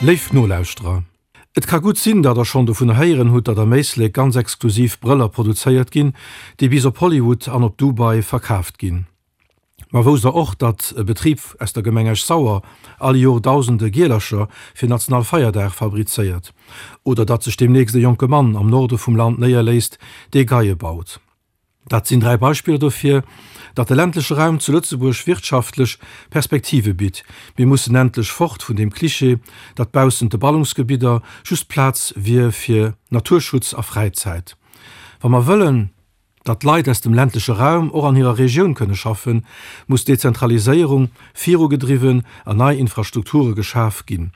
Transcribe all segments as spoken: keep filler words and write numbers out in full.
Léif Nolauschterer, et ka gutt sinn, datt der schonn dovun héieren hutt, datt am Éislek ganz exklusiv Brëller produzéiert ginn, déi bis op Hollywood an op Dubai verkaaft ginn. Ma wousst der och, datt e Betrib aus der Gemeng Esch-Sauer all Jor dausende Gielercher fir Nationalfeierdag fabrizéiert? Oder datt sech deemnächst e jonke Mann am Norde vum Land néierléisst, dee Geie baut? Dat sinn dräi Beispiller dofir, datt de ländleche Raum zu Lëtzebuerg wirtschaftlech Perspektive bitt. Mir mussen endlech fort vun deem Klischee, datt baussent de Ballungsgebidder just Plaz wier fir Naturschutz a Fräizäit. Wa mer wëllen, datt d'Leit aus dem ländleche Raum och an hirer Regioun kënne schaffen, muss d'Dezentraliséierung virugedriwwen an nei Infrastrukture geschaf ginn.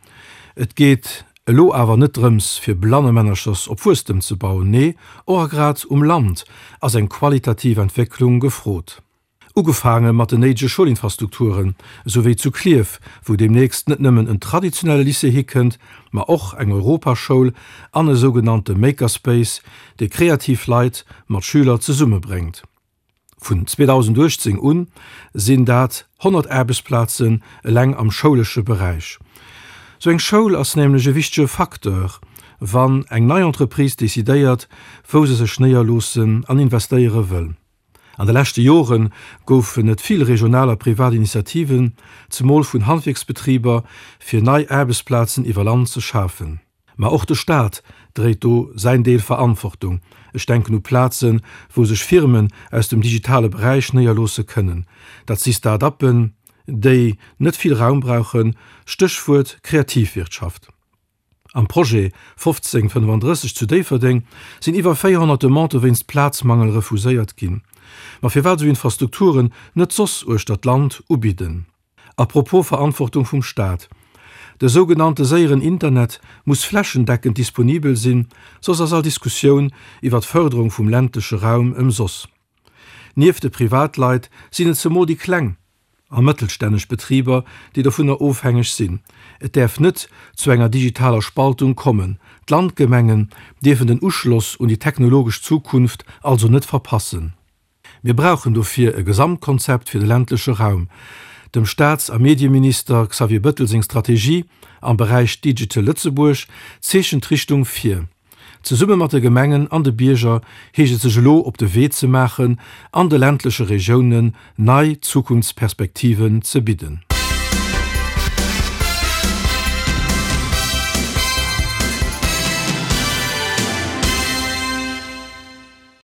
Et geet elo awer net drëms, fir Blannemännerchers op Wuesstem ze bauen, nee, och a grad um Land ass eng qualitativ Entwécklung gefrot. Ugefaange mat den néidege Schoulinfrastrukturen, esou wéi zu Klierf, wou deemnächst net nëmmen en traditionelle Lycée hikënnt, ma och eng Europaschoul an e sougenannte Makerspace, dee kreativ Leit mat Schüler zesummebréngt. Vun zweedausenduechtzéng un sinn dat honnert Aarbechtsplazen eleng am schoulesche Beräich. Sou eng Schoul ass nämlech e wichtege Facteur, wann eng nei Entreprise decidéiert, wou se sech néierloossen an investéiere wëll. An de leschte Jore goufen et vill regional a privat Initiativen, zemol vun Handwierksbetriber, fir nei Aarbechtsplazen iwwer Land ze schafen. Ma och de Staat dréit do säin Deel Verantwortung. Ech denken u Plazen, wou sech Firmen aus dem digitale Beräich néierloosse kënnen. Dat si Start-uppen, déi net vill Raum brauchen, Stéchwuert Kreativwirtschaft. Am Projet fofzéng fënnefandrësseg zu Déifferdeng sinn iwwer véierhonnert Demandë wéinst Plazmangel refuséiert ginn. Ma firwat esou Infrastrukturen net soss uechter d'Land ubidden? A propos Verantwortung vum Staat, De sougenannte séieren Internet muss flächendeckend disponibel sinn, soss ass all Diskussioun iwwer d'Fërderung vum ländleche Raum ëmsoss. Nieft de Privatleit sinn et zemol déi kleng a mëttelstänneg Betriber, déi dovunner ofhängeg sinn. Et däerf net zu enger digitaler Spaltung kommen. D'Landgemengen dierfen den Uschloss un déi technologesch Zukunft also net verpassen. Mir brauchen dofir e Gesamtkonzept fir de ländleche Raum. Dem Staats a Medieminister Xavier Bëttel seng Strategie am Beräich Digital Lëtzebuerg zeechent d'Richtung vir. Zesumme mat de Gemengen an de Bierger heescht et sech elo op de Wee ze maachen an de ländleche Regiounen nei Zukunftsperspektiven ze bidden.